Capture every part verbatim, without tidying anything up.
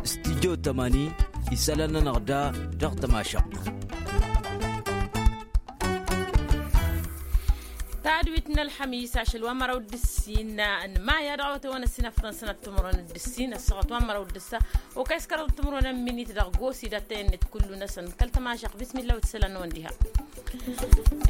Stidyo tămani isălan-nănăɣ da dăɣ-tămašăɣt. Tadwit n-ălxămis ašăl wa n-măraw d-ǝssin n-maya dăɣ-awătăwăn ăssin afḍăn sănăt timǝrwen d-ǝssin ăssaɣăt wa n-măraw d-ǝssa. Okăy s-kăraḍ timǝrwen n-minit dăɣ-gosi d-attăyăn-net kullu-năsăn kăl-tămašăɣt bismilla wăt isălan-năwăn diha.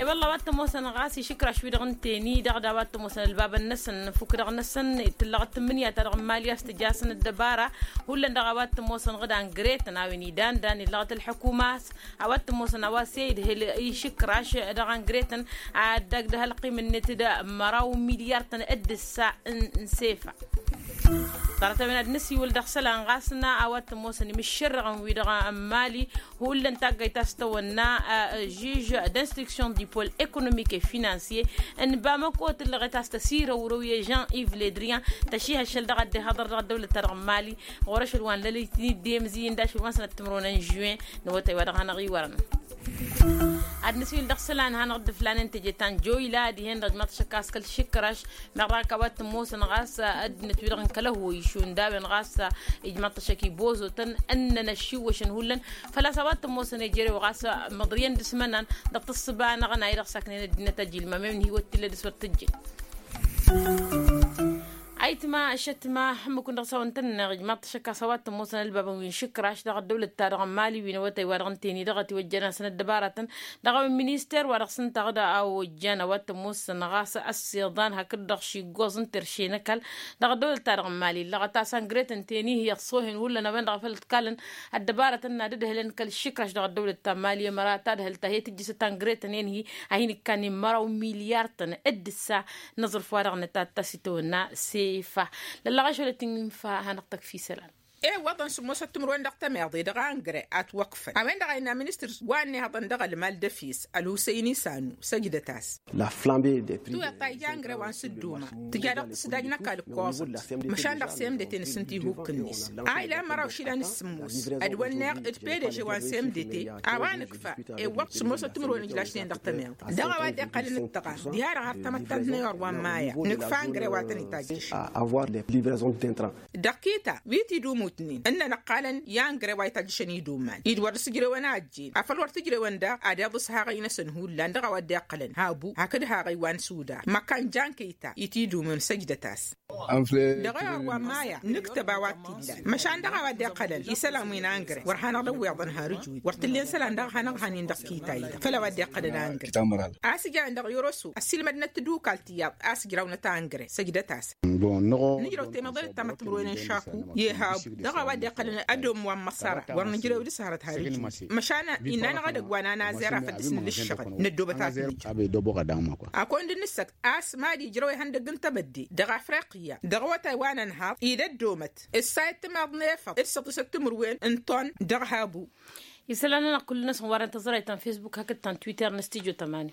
E-wălla a-wa t-ămoosăn ɣas išǝkraš-wi-dăɣ n-teni-dăɣ d-a-wa t-ămoosăn ălbabăn-năsăn n-efuk-dăɣ-năsăn tǝllăɣăt tǝmmǝnǝya-ta-dăɣ n-imali a-s tǝja a-s n-ăddăbara. Hullan dăɣ-a-wa t-ămoosăn ɣǝd angret n-a-wen idan dan illăɣăt ălḥăkuma a-s a-wa t-ămoosăn a-wa s-e-idhǝl išǝkraš dăɣ-angret n-ad-dăgg-dăɣ ălqim-net d-măraw milyar-tăn d-ǝssa n-sefa. Ḍarăt-a-wen ad-nǝsiwǝl dăɣ-isălan ɣas n-a-wa t-ămoosăn imǝššărrăɣăn-wi-dăɣ n-imali. Hullan taggayt ta s-tăwănna žuž d-instruction du pol ekonomik e finansiye n-bamăko tǝllăɣet a-s tăsirăwrăw i-žan iv ledrian tăšihăššăl dăɣ-ad-dd-ihaḍăr dăɣ-ăddăwlăt-ta-dăɣ n-imali. Ɣur-ašăl wa n-lălăyt-in-dd i-amǝzǝy-in d-ašăl wa n-sănăt timǝrwen n-žuwen n-awătay wa dăɣ-hanăɣ-iwărăn. Ad-nǝswǝl dăɣ-isălan hanăɣ-dd-ǝflanen teje ta n-joyla dihen-dăɣ ijmaḍ-t ašăk a-s kăl-išǝkraš. Meɣ dăɣ-ak a-wa t-ămoosăn ɣas ăddinăt-wi-dăɣ n-kăl-ăhwoy šund a-wen ɣas ijmaḍ-t ašăk ibozotăn ǝnnăn ăššiwwăšăn hullan. Făl-a-s a-wa t-ămoosăn ejerew ɣas măḍriyăn d-asmănan dăɣ-tǝssǝba-năɣ n-a-i-dăɣ saknen ăddinăt ajilmam i-ămnihǝy wăt t-illa dăr-s wăr t-ǝjjǝn. Ayǝtma ăššătma hǝmmǝk-wǝn dăɣ-s a-wa n-tănneɣ ijmaḍ-t ašăk a-s a-wa t-ămoosăn ălbabăn wi n-išǝkraš dăɣ-ăddăwlăt-ta-dăɣ n-imali wi n-awătay wa dăɣ-n teni dăɣ-ătiwăjjăn-asăn ăddăbaratăn dăɣ-a-wen minister wa dăɣ-s ǝnta ɣǝd a ojjan a-wa t-ămoosăn ɣas ăssiḍan hakd-dăɣ šiggoẓ n-terše n-ăkall. Dăɣ-ăddăwlăt-ta-dăɣ n-imali illăɣăt a-s angret n-teni hi-ăṣṣohen hullan a-wen-dăɣ a făl ǝtkalăn ăddăbarătăn n-ad-ǝdhǝlăn kăl-išǝkraš dăɣ-ăddăwlăt ta n-imali ămăra ta ǝdhǝl ta hi-tǝjjǝsăt angret-nen-hi a hin-ǝkkan n-măraw milyar-tăn d-ǝssa n-aẓrǝf-wa-dăɣ n-ătatta s-itawănna sefa. Lăllăɣ ašăl ăttin-fa hanăɣ-tăkf isălan. Iwwăḍăn sǝmmosăt timǝrwen dăɣ-tămeḍe dăɣ-angre a ǝtwăkfăn a-wen-dăɣ a innă ministăr wa ănnihăḍăn dăɣ-ălmal d-efes ălhusăyni sanu săjdăt-as. Tiweḍt ta ija angre wa n-sǝdduma tǝja dăɣ-tǝsdaj n-ăkall ǝkkoẓăt măšan dăɣ-semdăte n-asǝnt ihukk-net a ilan măraw išilan s-sǝmmos. Ădwănneɣ d-pdg wa n-semdăte a-wa nǝkfa iwwăḍ sǝmmosăt timǝrwen ǝjlašnen dăɣ-tămeḍe dăɣ-a-wa dd-iqqălăn d-tăɣa diha-dăɣ har tamăttant n-ayɣăr wa n-maya nǝkfa angre wa tăn-itajjăšăn. Dăɣ-kita wi t-idumutnen ǝnnăn ăqqalăn i-angre wa itajjăšăn iduman-i d-wăr dăr-s ǝjrewăn a ăjjeen afăl wăr t-ǝjrewăn daɣ ad-iḍǝs haɣăy-năsăn hullan dăɣ-a-wa dd-iqqălăn habu hakd haɣăy wa n-sudar măkkan jankăyta i-t-idumun săjdăt-as. Dăɣ-ayɣăr wa n-maya nǝktăb a-wa t-illan măšan dăɣ-a-wa dd-iqqălăn isălan wi n-angre wăr hanăɣ-dd-ăwweḍăn har ǝjwǝy wăr t-ǝllen isălan daɣ hanăɣ-dd-hanin dăɣ-kita-i-dăɣ făll-a-wa dd-iqqălăn angre. A-s ǝjrăwăn dăɣ-yoroso ăssiilmădnăt tadukalt tiyyăḍ a-s ǝjrawnăt angre săjdăt-as. Nǝjrăw temeḍe d-tamăttămrăwen n-šaku i-habu dăɣ-a-wa dd-iqqălăn ădom wa n-măṣăra wăr nǝjrew dăɣ-s hărăt har ǝjwǝy măšan innă-anăɣ edăgg wa n-anazăr a făl dăɣ-s nǝlǝššăɣăl năddoobăt a-s nǝjjăr. Akăwăn dd-nǝssăkt a-s mad-ijrăw ihăndăgg n-tebădde dăɣ-afriqya dăɣ-awătay wa n-ănhaḍ-i d-ăddoomăt ǝssayăt timaḍ n-efăḍ d-săḍisăt timǝrwen n-ton dăɣ-habu. Isălan-nănăɣ kull-năsăn wa dăɣ-tăẓrayt ta n-fesbuk hakd ta n-twitter n-studyo tămani.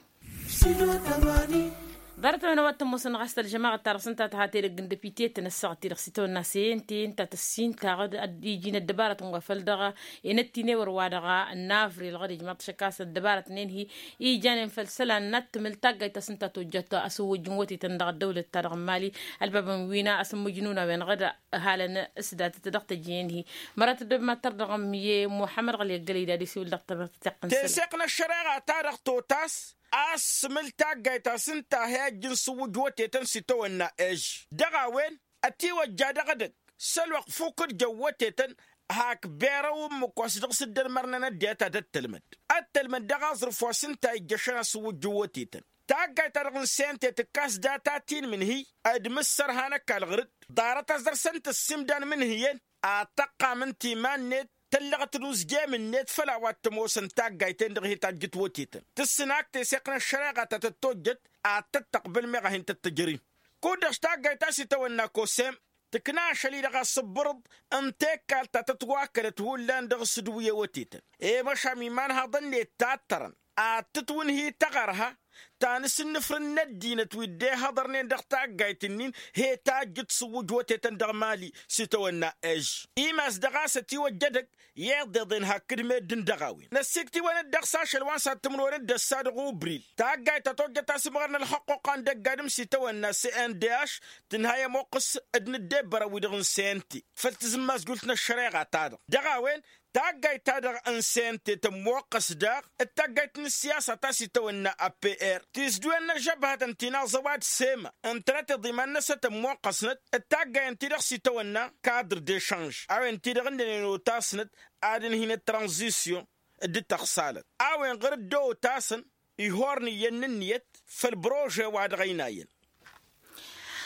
Ḍarăt-a-wen a-wa t-ămoosăn ɣas tălžămaɣăt ta dăɣ-s ǝnta tăha tedăgg n-depite-tăn ăssaɣăt-i-dăɣ s-itawănna sente ǝnta tăssin taɣăd ad-iji n-ăddăbarătăn wa făl dăɣ-enăttinewăr wa dăɣ-n avril ɣăr ijmaḍ-t šăkkas ăddăbarătnen-hi ijanen făll-isălan n-ad-tǝmǝl taggayt ta s-ǝnta tojjat asǝwwǝjj n-wătetăn dăɣ-ăddăwlăt-ta-dăɣ n-mali. Ălbabăn wi n-asǝmmǝjnun a-wen ɣăr halăn s-datăt dăɣ-tejǝyen-hi. Mărat dd-mad-tărdăɣăm i-muḥămmăd ɣăli ăggălăy d-ad-isiwǝl dăɣ-tămărt teseɣt n-ăššăreɣa-ta-dăɣ totas a-s tǝmǝl taggayt ta s-ǝnta a hi-ăjj n-sǝwwǝjj wătetăn s-itawănna ež dăɣ-a-wen ătiwăjja dăɣ-edăgg s-ălwăqq fukǝd jăn wătetăn. Hak berăw ǝmmǝk wa s-dăɣ-s dd-ălmărnăn ăddinăt ad-ăttălmăd ăttălmăd dăɣ-aẓrǝf wa s-ǝnta a ijjăšăn asǝwwǝjj n-wătetăn. Taggayt-ta-dăɣ n-sente tǝkkas data ti n-imǝnhǝy d-imǝssărha n-ăkall ɣǝr-dd ḍarăt a-s dăr-săn tǝssimdan imǝnhǝyăn. Ad-tăqqam ǝnta iman-net tăllăɣăt d-uzjem-net făll-a-wa t-ămoosăn taggayt-en-dăɣ hi-tajjǝt wătetăn tǝssǝn ak teseɣt n-ăššăreɣa ta tăt-tojjăt ad-tăt-tăqbǝl meɣ a hin-tăt-tǝjăr-in. Kud-dăɣ taggayt ta s-itawănna kosem tǝkna ašăl-i-dăɣ asǝbbărăḍ n-tekkalt ta tătwakălăt hullan dăɣ-s d-wi ewătetăn i-măšan imanhaḍăn-net tattărăn ad-tǝtwǝnhǝy tăɣărha. ta n-asǝnnǝfrǝn n-ăddinăt wi dd-ehăḍărnen dăɣ-taggayt-nin he-tajjǝd s-ǝwwǝj wătetăn dăɣ-mali s-itawănna ež. Imas dăɣ-a-s ătiwăjja edăgg i-iḍeḍen hakd meddǝn dăɣ-a-wen năssiktǝwăn-dd dăɣ-s ašăl wa n-sad-timǝrwen d-ăssa dăɣ-ubril. Taggayt ta tojjăt asǝmɣăr n-ălxăqquqa n-dăgg-adǝm s-itawănna s-n d h tǝnha i-ămoqqǝs d-inǝddebbărăn-wi-dăɣ n-sente făll-tizǝmmazjult n-ăššăreɣa-ta-dăɣ. Dăɣ-a-wen taggayt-ta-dăɣ n-sente tămmoqqăs daɣ d-taggayt n-ǝssiyasa ta s-itawănna apr tisdǝwen n-ăžžăbhătăn ti n-aẓăwad sema ǝntănăteḍ iman-năsăn tămmoqqăsnăt d-taggay ǝnta-i-dăɣ s-itawănna kadr d-ešanž a-wen-ti-dăɣ ǝnnănen otasnăt ad-ǝnhǝynăt tranzisyon d-tăɣsalăt a-wen ɣur-dd-otasăn ihornǝyyăn n-ǝnniyăt făll-brože wa dăɣ-ăynayăn.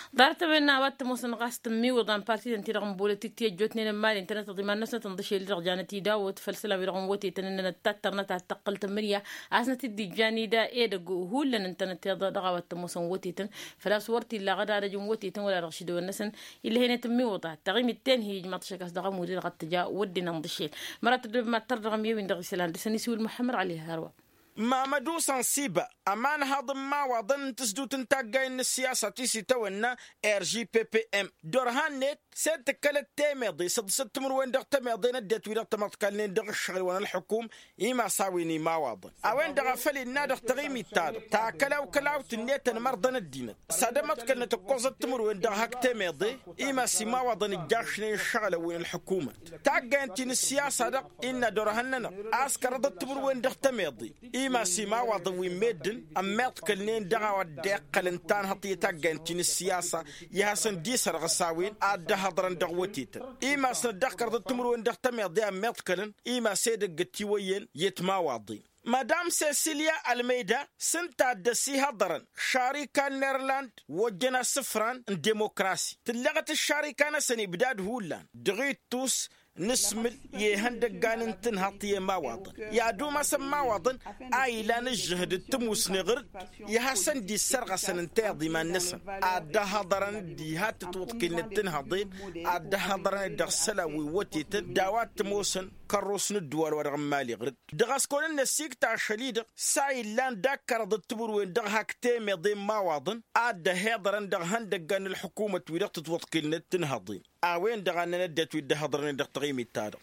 Ḍarăt-a-wen n-a-wa t-ămoosăn ɣas tǝmmiwǝḍan partităn-ti-dăɣ n-bolotik ti ăjjootnen n-mali ǝntănăteḍ iman-năsnăt ǝnḍǝšel-i-dăɣ janăt idawăt făll-isălan-wi-dăɣ n-wătetăn ǝnnănăt tattărnăt ad-tăqqǝl tǝmmǝnǝya a-s năt-dd-ijjan ida edăgg hullan ǝntănăteḍ dăɣ-a-wa t-ămoosăn wătetăn făl-a-s wăr t-illa aɣădadăj n-wătetăn wăla dăɣ-išidăwăn-năsăn. Illăh enăt tǝmmiwǝḍa taɣimit tenhi ijmaḍ-t ašăk a-s dăɣ-amud-i-dăɣ ad-tǝja wădden ănḍǝšel. Măra tăddobem ad-tărdăɣăm i-win-dăɣ isălan dăr-săn isiwǝl muḥămmăd ɣali hărwa. Mamădu sansiba ămanhaḍ n-imawaḍăn n-tǝsdut n-taggayen n-ǝssiyasa ti s-itawănna r g p p m. Dd-orhan-net s-e-d tǝkkălăt temeḍe săḍǝsăt timǝrwen dăɣ-temeḍe n-ăddinăt wi-dăɣ tămăḍkalnen dăɣ-ǝššăɣǝl wa n-ălxukum. Imas a-wen imawaḍăn a-wen-dăɣ a făl innă dăɣ-taɣimit-ta-dăɣ takălaw-kălaw tǝnne tănmărḍăn ăddinăt s-ad-ămăḍkălnăt ǝkkoẓăt timǝrwen dăɣ-hak temeḍe. Imas imawaḍăn ǝjjašnen ǝššăɣǝlăn wi n-ălxukumăt taggayen ti n-ǝssiyasa-dăɣ innă dd-orhăn-nănăɣ a-s kărăḍăt timǝrwen dăɣ-temeḍe. Imas imawaḍăn wi n-meddǝn ămmiḍkălnen dăɣ-a-wa dd-iqqălăn tanhăḍt i-taggayen ti n-ǝssiyasa i-hasăn-dd isărɣǝs a-wen ad-dd-ăhhăḍrăn dăɣ-wătetăn. Imasnăt daɣ kărḍăt timǝrwen dăɣ-temeḍe a ămmiḍkălăn imas edăgg ătiwăyyăn i-timawaḍen. Madam sesilya almeyda s-ǝnta a dd-ăsihăḍărăn šarika n-irland wa ojjăn asǝfran n-dimokrasi tǝlleɣăt ǝššarika-năsăn ibdad hullan dăɣ-ittus n-asmǝl i-ihăndăggan n-tǝnhăḍt i-imawaḍăn i-ad-umasăn imawaḍăn a ilan ǝžžǝhǝd d-tǝmusne ɣur-dd i-hasăn-dd-issărɣăsăn ǝnta iḍiman-năsăn ad-dd-ăhhăḍărăn d-iha-t-ǝtwǝḍkǝynet tǝnhăḍen ad-dd-ăhhăḍărăn-dd dăɣ-isălan wi n-wătetăn d-a-wa t-ămoosăn kărrus n-ǝddǝwal-wa-dăɣ n-imali ɣur-dd. Dăɣ-a-s kăwăn-dd-năsikt ašăl-i-dăɣ s-a illan d-akkărăḍăt timǝrwen dăɣ-hak temeḍe n-imawaḍăn ad-dd-ăhiḍărăn dăɣ-ihăndăggan n-ălḥukumăt wi-dăɣ tǝtwăḍkǝlnet tǝnhăḍen. A-wen-dăɣ a ǝnnăn ăddinăt wi dd-ăhhăḍărnen dăɣ-taɣimit-ta-dăɣ.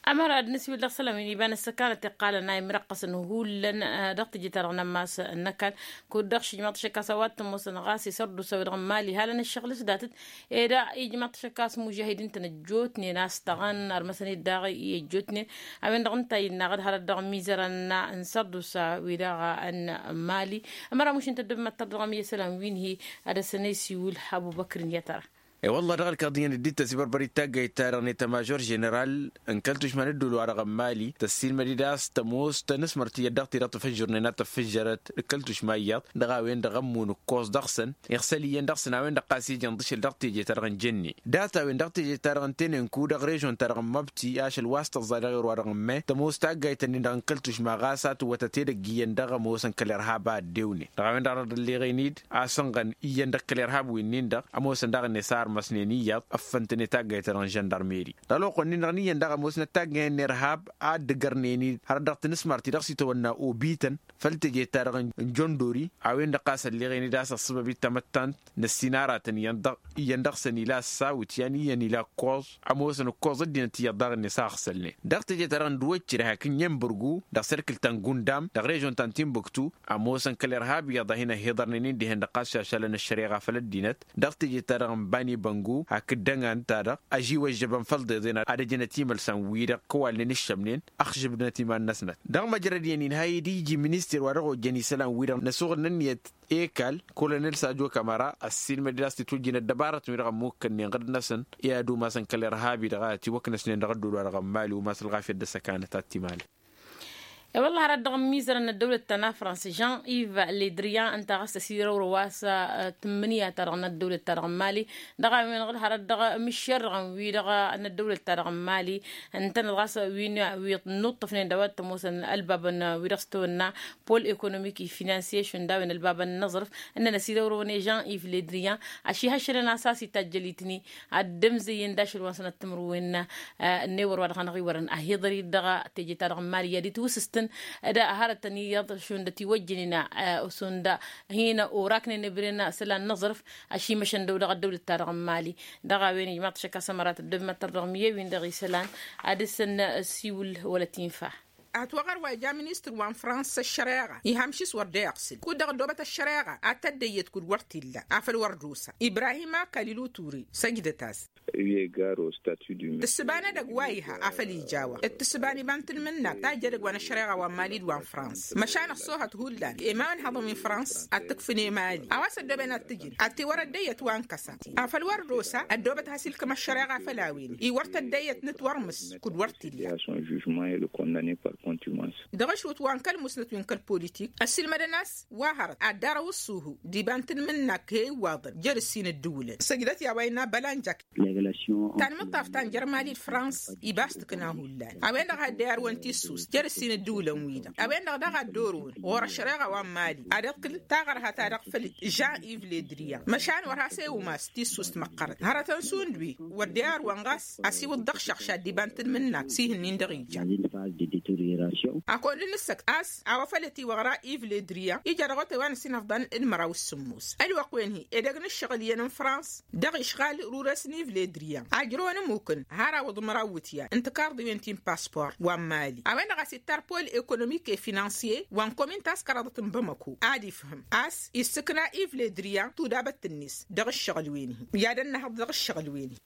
Ămăra ad-nǝsiwǝl dăɣ-isălan wi n-iba n-ăssăkanăt iqqalăn a imrăqqăsăn hullan dăɣ-teje-ta-dăɣ n-ămmas n-ăkall kud-dăɣ šijmaḍ-t ašăk a-s a-wa t-ămoosăn ɣas isărdusa-wi-dăɣ n-mali hal-ănăššăɣǝl s-datăt. Ed ijmaḍ-t ašăk a-s mužahidin-tăn ăjjootnen a-s tăɣăn armăsăn-dd daɣ i-ăjjootnen. A-wen-dăɣ ǝnta a innă aɣǝd hărăt dăɣ-imizărăn n-sărdusa-wi-dăɣ n-mali. Ămăra mušǝn tăddobem ad-tărdăɣăm i-isălan wi n-hi-ad-ăssăn a isiwǝl abubăkr n-i-ad-tăra. E-wălla dăɣ-ălkaḍiyyăn dd-ittăs ibărbăr-i d-taggayt-ta-dăɣ n-etamažor ženeral n-kăl-tušma n-ădduul-wa-dăɣ n-mali tăssiilmăd-dd a-s tămoos tanǝsmărt iyyăt dăɣ-ti-dăɣ tafăjjărnen ad-tăffǝžžărăt d-kăl-tušma iyyăḍ dăɣ-a-wen-dăɣ ămmun ǝkkoẓ dăɣ-săn iɣsăl iyyăn dăɣ-săn a-wen-dăɣ ɣas ija ǝnḍǝšel dăɣ-teje-ta-dăɣ n-jănne. Dat-a-wen dăɣ-teje-ta-dăɣ n-tenenku dăɣ-režon-ta-dăɣ n-măbti ašăl wa s-tăẓẓa dăɣ-erwa-dăɣ n-me tămoos taggayt-nin-dăɣ n-kăl-tušma ɣas a tǝwwătăt edăgg iyyăn dăɣ-ămoosăn kăl-irhab a ăddewnen dăɣ-a-wen-dăɣ dăr-dd-ălleɣen-dd a-s ănɣăn iyyăn dăɣ-kăl-irhab wi-nin-dăɣ ămoosăn daɣ-net a ărmăsnen iyyăḍ ăffăntăn i-taggayt-ta-dăɣ n-žăndarmeri. Dăɣ-ălwăqq-wen-nin-dăɣ n-iyyăn dăɣ-ămoosnăt taggayăn n-irhab a dd-ǝgărnen-dd hărăt dăɣ-tinǝsmart-i-dăɣ s-itawănna obităn făll-teje-ta-dăɣ n-jondori a-wen-dăɣ ɣas ălleɣen-dd a-s ăṣṣăbăb-i d-tamăttant n-ăssinarătăn iyyăn-dăɣ iyyăn dăɣ-săn ila ăssawǝt yan iyyăn ila ǝkkoẓ ămoosăn ǝkkoẓ ăddinăt iyyăḍ daɣ-net a ăɣsălnen. Dăɣ-teje-ta-dăɣ n-duwăccir hak n-imbǝrgu dăɣ-serkǝl ta n-gundam dăɣ-režon ta n-timbuktu ămoosăn kăl-irhab iyyăḍ a hin-ăhhiḍărnen-in dihen-dăɣ ɣas šašalăn ăššăreɣa făll-ăddinăt. Dăɣ-teje-ta-dăɣ n-bani băngu hakd dăngan-ta-dăɣ ăžiwăžžăbăn făll-iḍeḍen ad-ăjǝnăt imălsan-wi-dăɣ kăwalnen ǝššămnen ăxžǝbnăt iman-năsnăt. Dăɣ-măjrăd iyyăn-in ha-dd-iji minister wa dăɣ-ojăn isălan-wi-dăɣ n-ăsuɣǝl n-ǝnniyăt ekal kolonel sajo kamăra ăssiilmăd-dd a-s titwǝjjǝnăt dăbarătăn-wi-dăɣ ămmukkănnen ɣǝrǝd-năsăn i-ad-umasăn kăl-irhab-i-dăɣ a ătiwăknăsnen dăɣ-ădduul-wa-dăɣ n-mali umas ălɣafyăt d-ăssăkanăt ad-t-imalăn. E-wălla hărăt dăɣ-ămmiizărăn n-ăddăwlăt ta n-afrans jean-iv ledrian ǝnta ɣas tăsirăwrăw a-s tǝmmǝnǝya-ta-dăɣ n-ăddăwlăt-ta-dăɣ n-mali. Dăɣ-a-wen-dăɣ dd-hărăt dăɣ-imǝššerrăɣăn-wi-dăɣ n-ăddăwlăt-ta-dăɣ n-mali ǝntănăt ɣas wi n-nuṭṭăfnen d-a-wa t-ămoosăn ălbabăn wi-dăɣ s-tăwănna pol ekonomik i-finansiye šund a-wen ălbabăn n-aẓrǝf ǝnnăn ăsirăwrăwăn i-jean-iv ledrian. Ăšihăššălăn a-s a-s itajjăl-itni ad-dd-ămzăyyăn d-ašăl wa n-sănăt timǝrwen n-ewăr wa dăɣ-hanăɣ-iwărăn ăhiḍăr-dd dăɣ-teje-ta-dăɣ n-mali i-ad-itwǝsǝs. Ădăɣ hărătăn iyyăḍ šund ătiwăjjănen šund hin-oraknen ebren isălan n-aẓrǝf. Ašimăšăn dăw-dăɣ ăddăwlăt-ta-dăɣ n-mali. Dăɣ-a-wen ijmaḍ-t ašăkasăm ărat ăddăwlăt-ta-dăɣ n-mali wi-dăɣ isălan ad-dăr-săn ăsiwǝl wăla t-infa. Ătwăɣăr wa ija ministăr wa n-frans ăššăreɣa ihăm šis wăr dd-eɣsǝl kud-dăɣ ăddoobăt ăššăreɣa ad-tăddăyyăt kud-wăr t-illa afăl wăr dd-osa ibrahima kalilu ture. Săjdăt-as. Tǝssǝba n-edăgg wa iha afăl ija-wa d-tǝssǝba n-iba n-tǝlmǝnnak ta ija edăgg wa n-ăššăreɣa wa n-mali d-wa n-frans măšan ăṣṣoohăt hullan i-ma ănhăḍăn wi n-frans ad-t-ǝkfǝn i-mali a-wa s-ăddooben ad-t-ǝjǝn ad-t-wăr ăddăyyăt wa n-kăsa. Afăl wăr dd-osa ăddoobăt has-ilkǝm ăššăreɣa făll-a-wen-i wăr t-ăddăyyăt n-ătwărmǝs kud-wăr t-illa. Dăɣ-ašwǝt wa n-kăl-musnăt wi n-kăl-politik ăssiilmădăn a-s wa hărăt ad-dd-arăw ǝṣṣuhu d-iba n-tǝlmǝnnak he-iwwaḍăn jer-ǝssin ǝddǝwǝlăn săjdăt i-a-wa innă bălanjak. Tanmǝṭṭaft ta n-jer-mali d-frans iba a-s tǝkna hullan a-wen-dăɣ a hi-dd-ăyarwăn tissust jer-ǝssin ǝddǝwǝlăn-wi-dăɣ a-wen-dăɣ daɣ a dd-orăwăn ɣur-ăššăreɣa wa n-mali ad-iqqǝl taɣărha-ta-dăɣ făll-žan iv ledriya. Măšan wăr has-ewmas tissust măqqărăt hărătăn šund wi wăr dd-ăyarwăn ɣas asiwǝḍ dăɣ-išăɣš ad-dd-iba n-tǝlmǝnnak s-ihǝnnin-dăɣ ija. Akăwăl d-nǝssăkt a-s a-wa făl ătiwăɣra iv ledriya ija dăɣ-otay wa n-ăsinăfḍăn d-măraw s-sǝmmos ălwăqq-wen-hi edăgg n-ǝššăɣǝl iyyăn n-frans dăɣ-išɣal rures n-iv ledriya ajrăwăn ămmukăn har awǝḍ măraw iwǝtyan n-tikarḍiwen ti n-paspor wa n-mali a-wen-dăɣ a-s ittar pol ekonomik e-finansiye wa n-komin ta s-kăraḍăt n-bamako ad-ifhǝm a-s issǝkna iv ledriya tudabăt-net dăɣ-ǝššăɣǝl-wen-hi i-ad-ănnăhăḍ dăɣ-ǝššăɣǝl-wen-hi.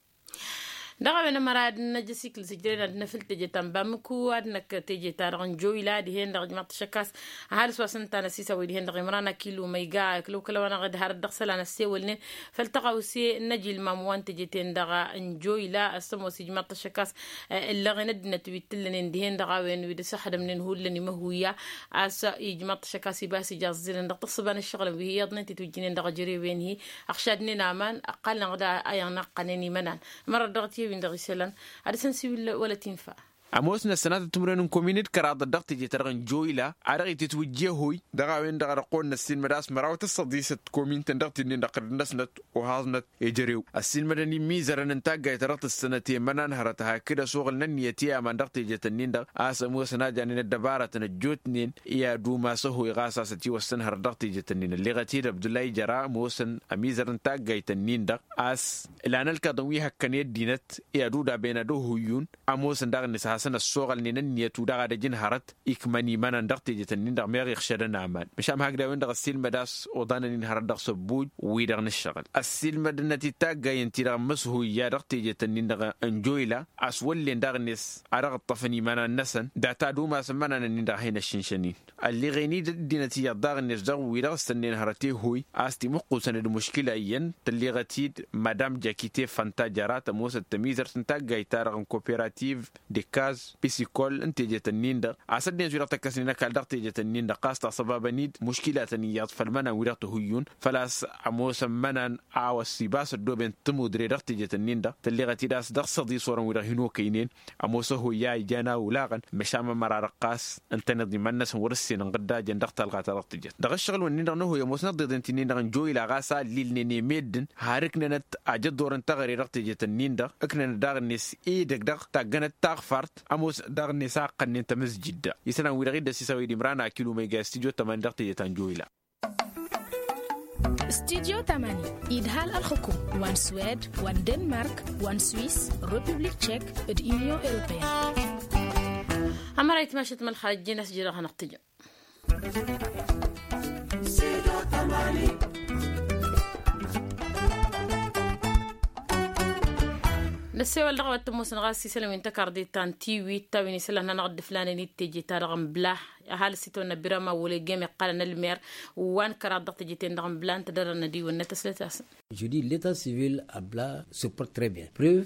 Dăɣ-a-wen ămăra ad-năj asikǝl s-ǝjrăyăn ad-năfǝl teje ta n-bamako ad-năkk teje-ta-dăɣ n-joyla dihen-dăɣ ijmaḍ-t ašăkkas. Ăhalǝs wa s-ǝnta n-asisawăy dihen-dăɣ imran akilu ma iga kǝlăw kăl-a-wa-dăɣ dd-hărăt dăɣ-isălan ăssewălnen făll-tăɣawse n-ajilmam wa n-teje-ten-dăɣ n-joyla. Ăssămoos ijmaḍ-t ašăkkas ǝllăɣen ăddinăt wi t-ǝllănen dihen-dăɣ a-wen wi d-ăsăxdămnen hullan imăhuya a-s ijmaḍ-t ašăkkas iba a-s ija ăẓẓilăn dăɣ-tǝssǝba n-ǝššăɣǝlăn wi hi-iyyăḍnen titwǝjjǝnen dăɣ-ejărewen-hi. Ăɣšadnen aman ăqqalnăɣ-dd a iyyăn ăqqănen imănan. Ămărăt dăɣ-t i-ewin dăɣ-isălan ad-dăr-săn siwǝl wăla t-infa. Ămoosnăt sănatăt timǝrwen n-komin d-kăraḍăt dăɣ-teje-ta-dăɣ n-joyla a dăɣ-itǝtwǝjjeh oy dăɣ-a-wen-dăɣ a dăɣ-kăwăn-năssiilmăd a-s măraw tǝssăḍisăt komin-tăn dăɣ-tidnin dăɣ-kăr-năsnăt ohaẓnăt ejărew ăssiilmădăn imizărăn n-taggayt ta dăɣ-tǝssănăt i-imănan hărăt hakd ăsoɣǝl n-ănniyăt i-aman dăɣ-teje-tăn-in-dăɣ a-s ămoosăn a janen ăddăbarătăn ăjjootnen i-ad-umas ăhoy ɣas a-s ătiwăssăn hărăt dăɣ-teje-tăn-in ălleɣăt-dd abdullah ijăra ămoosăn ămizăr n-taggayt-ǝnnin-dăɣ a-s ǝlan ălkaḍăn wi hăkkăn i-ăddinăt i-ad-udaben ad-ohuyyun. Ămoosăn daɣ-net a hasăn-ăssoɣălnen ǝnniyăt wi daɣ ad-ăjǝn hărăt ikmăn imănan dăɣ-tejet-ǝnnin-dăɣ meɣ iɣšădăn aman măšan hakd a-wen-dăɣ ăssiilmăd a-s oḍanăn-in hărăt dăɣ-săbbuj wi-dăɣ n-ǝššăɣǝl ăssiilmădăn-năt i-taggay ǝnta-i-dăɣ ămmăshuyya dăɣ-tejet-ǝnnin-dăɣ n-joyla a-s wăllen daɣ-net ad-dăɣ-ǝṭṭăfăn imănan-năsăn data ad-umasăn imănan-ǝnnin-dăɣ a hin-ăššǝnšăn-in. Ălleɣen-dd ăddinăt iyyăḍ daɣ-net dăɣ-wi-dăɣ s-tănnen hărăt i-hoy a-s timǝqqusăn d-muškila iyyăn tălleɣăt-dd madam jakite fanta jăra tămoosăt tămizărt n-taggayt-ta-dăɣ n-koperativ d-ikkaz pisikol n-tejet-ǝnnin-dăɣ a-s ăddinăt wi-dăɣ tăkkăsnen ăkall dăɣ-tejet-ǝnnin-dăɣ ɣas taṣăbabăn-dd muškilatăn iyyăḍ făll-imănan wi-dăɣ tăhuyyun. Făl-a-s ămoosăn imănan a-wa s-ibas ăddooben tămudre dăɣ-tejet-ǝnnin-dăɣ tălleɣăt-dd a-s dăɣ-săḍis orăn wi-dăɣ hin-okăynen. Ămoos ăhoyya ijan a olaɣăn măšan mămăra dăɣ-ɣas ǝntăneḍ iman-năsăn wăr-ǝssin ǝnɣǝdda jăn dăɣ-talɣa ta dăɣ-tǝjăt dăɣ-ǝššăɣǝl-wen-nin-dăɣ n-ăhoy ămoosnăt dd-ǝnta-nin-dăɣ n-joyla ɣas a ǝllilnen i-meddǝn har ǝknănăt ajăḍḍor n-teɣăre dăɣ-tejet-ǝnnin-dăɣ ǝknănăt daɣ-net edăgg dăɣ-taggănăt taɣfart ămoosnăt daɣ-net a ǝqqănnen tamǝzjǝd-dăɣ. Isălan-wi-dăɣ i dd-ăsisăwăy d-imran akilu ma iga i-studyo tămani dăɣ-tejet ta n-joyla. Studyo tămani idhal ălxǝkum wa n-swed wa n-denmark wa n-swis, republik tšek d-inyon europeyăn. Ămăra itmašăt mălxal ăjjeen a-s jidăɣ hanăɣ-tǝjăm. Năssewăl dăɣ-a-wa t-ămoosăn ɣas isălan wi n-tăkarḍe ta n-tiwit ta wi n-isălan hanăɣ-dd-ǝflanen i d-teje-ta-dăɣ n-blah. Ăhalǝs itawănna birama wăla egem iqqălăn ălmer wa n-kăraḍ dăɣ-teje-ten-dăɣ n-blah ǝnta dăr-ănnădiwăn-năt ăslăt-asăn. Judit leta sivil abla support trebien preuv.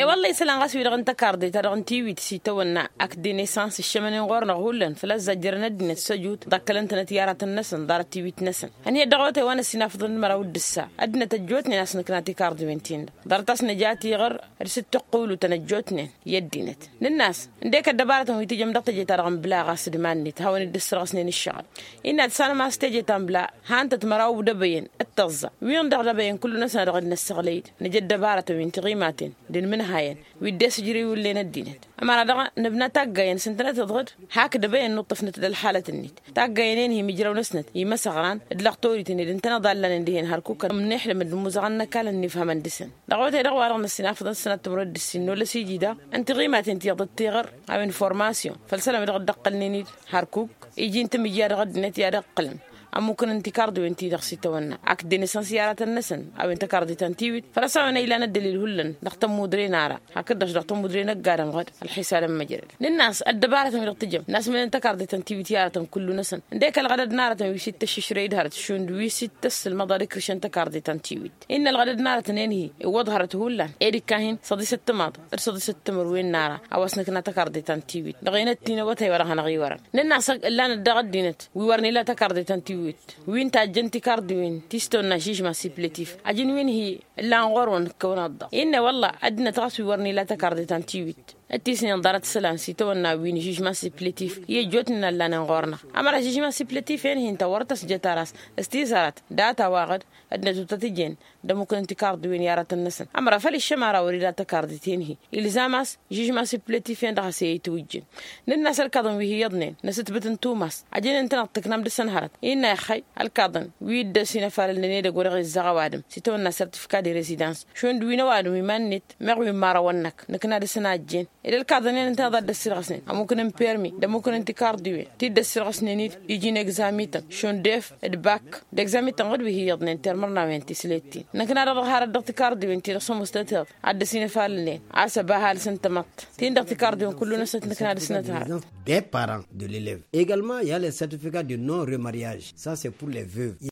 E-wălla isălan ɣas wi-dăɣ n-tăkarḍe-ta-dăɣ n-tiwit s-itawănna ak denesans ǝššămănen ɣur-năɣ hullan făl-a-s zajjărăn ăddinăt s-ăjut ḍăkkălăn-tănăt i-aratăn-năsăn ḍarăt tiwit-năsăn. Ăniyăt dăɣ-otay wa n-ăssinafăḍăn d-măraw d-ǝssa ăddinăt ăjjootnen a-s nǝkna tikarḍiwen-tin-dăɣ ḍarăt a-s nǝja tiɣăr d-sǝttǝqqulutăn ăjjootnen i-ăddinăt. Nǝnn'-as ǝndek ăddăbarătăn wi tǝjăm dăɣ-teje-ta-dăɣ n-bla ɣas d-iman-net hawăn-dd-ǝssărɣăsnen ǝššăɣǝl. Innă ad-sanăm a-s teje ta n-bla hantăt măraw d-ebăyăn. tăẓẓa wi-dăɣ dăbăyăn kullu-năsăn a dăɣ-dd-năssăɣlăy-dd. Nǝja ăddăbarătăn wi n-tiɣimaten d-inmǝnhayăn wi dd-esǝjrǝy wullen ăddinăt. Ămăra-dăɣ nǝbna taggayăn s-ǝntănăt iḍɣǝd hak dăbăyăn nuṭṭăfnăt d-ălxalăt-net. Taggayăn-en-hi imǝjraw-năsnăt imăsăɣran d-lăxtorităn ed ǝntăneḍ a ǝllanen dihen hărkukăn ămnixlăm d-imuzăɣăn n-ăkall ănnifhămăn dăɣ-săn. Dăɣ-awătay-dăɣ wa-dăɣ năssinafăḍăn s-sănat timrăd d-ǝssin n-olăs iji daɣ n-tiɣimaten ti iḍăt tiɣăr a-wen formasyon făll-isălan wi dăɣ-dd-ăqqălnen-dd hărkuk iji n-timǝjja dăɣ-ăddinăt i-ad-ǝqqǝlăn ămmukăn n-tikarḍiwen-ti-dăɣ s-itawănna ak dd-enăsăn s-i aratăn-năsăn. A-wen tăkarḍe ta n-tiwit făl-a-s a-wen a ilan ăddălil hullan dăɣ-tămmudre n-ara hakd-dăɣ dăɣ-tămmudre n-ăgg-adǝm ɣǝd ălxisal n-măjrăd. Nǝnn'-as ăddăbarătăn wi-dăɣ tǝjăm n-asmănen tăkarḍe ta n-tiwit i-aratăn kullu-năsăn ǝndek ălɣădăd n-aratăn wi s-ittăššǝšrăy d-hărăt šund wi s-ittăssǝlmăḍ ad-ikrǝšăn tăkarḍe ta n-tiwit. Innă ălɣădăd n-aratăn-en-hi iwwăḍ hărăt hullan ed ikka-hin săḍisăt timaḍ d-săḍisăt timǝrwen n-ara a-wa s-nǝkna tăkarḍe ta n-tiwit dăɣ-enăt-in awătay wa dăɣ-hanăɣ-iwărăn. Nǝnn'-as ǝllan-dd dăɣ-ăddinăt wi wăr nila tăkarḍe ta n-tiwit wi n-tajjăn tikarḍiwen ti s-tawănna žžma siplătif ajăn wi n-hi ǝllan ɣur-wăn ǝkkăwăn aḍḍa. Innă wălla ăddinăt ɣas wi wăr nila tăkarḍe ta n-tiwit d-tisnen ḍarăt isălan s-itawănna wi n-žžma siplătif i-ăjjootnen a ǝllanen ɣur-năɣ. Ămăra žžma siplătif-en-hi ǝnta wăr tăsjăt ara s-tizarăt data-wa-ɣǝd ăddinăt wăr tăt-ǝjjen d-ămmukăn n-tikarḍiwen i-aratăn-năsăn. Ămăra făl iššăm ara wăr-ila tăkarḍit-en-hi ilzam a-s žžma siplătif-en-dăɣ a-s e-itwǝjjǝn. Nǝnn'-as ălkaḍăn wi hi-iyyăḍnen n-asǝtbǝt n-tumas ajăn ǝntăneḍ tǝknam dăɣ-săn hărăt innă ixăy ălkaḍăn wi dd-ăsinăfalălnen edăgg wa dăɣ-izzăɣ ăwadǝm s-itawănna sărtifika de rezidans šund wi n-ăwadǝm iman-net meɣ wi n-imărawăn-năk nǝkna dăɣ-săn a ǝjjen. Ed ălkaḍăn-en ǝntăneḍ a dd-ăssirɣăsnen ămmukăn n-permi d-ămmukăn n-tikarḍiwen ti dd-ăssirɣăsnen-dd iji n-egzamităn šund ef d-bak d-egzamităn ɣǝd wi hi-iyyăḍnen termărnawen tislet-in. Nǝkna-dăɣ dăɣ-harăt dăɣ-tikarḍiwen ti dăɣ-sămoos tătăḍ a dd-ăsinăfalălnen a-s ăba ăhalǝs n-tamăḍt-tin-dăɣ tikarḍiwen kullu-năsnăt nǝkna dăɣ-snăt harăt. Des parents de l'élève également il y a les certificats de non remariage, ça c'est pour les veuves.